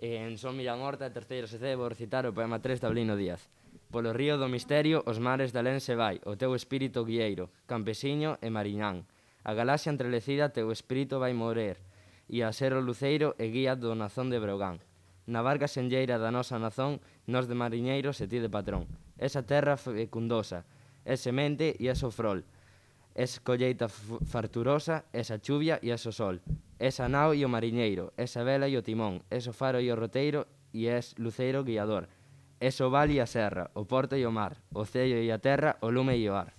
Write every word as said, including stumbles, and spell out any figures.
En Son Millán Horta, terceiro C C, vou recitar o poema tres de Avelino Díaz. Polo río do misterio, os mares de alén se vai, o teu espírito guieiro, campesiño e mariñán. A galaxia entrelecida teu espírito vai morer, e a ser o luceiro e guía do nazón de Breogán. Na barca senlleira da nosa nazón, nós de mariñeiros e ti de patrón. Esa terra fecundosa, é semente e é sofrol. Es colleita farturosa, esa chuvia e es o sol. Esa nao e o mariñeiro, esa vela e o timón, es o faro e o roteiro e es luceiro guiador. Es o val e a serra, o porto e o mar, o cello e a terra, o lume e o ar.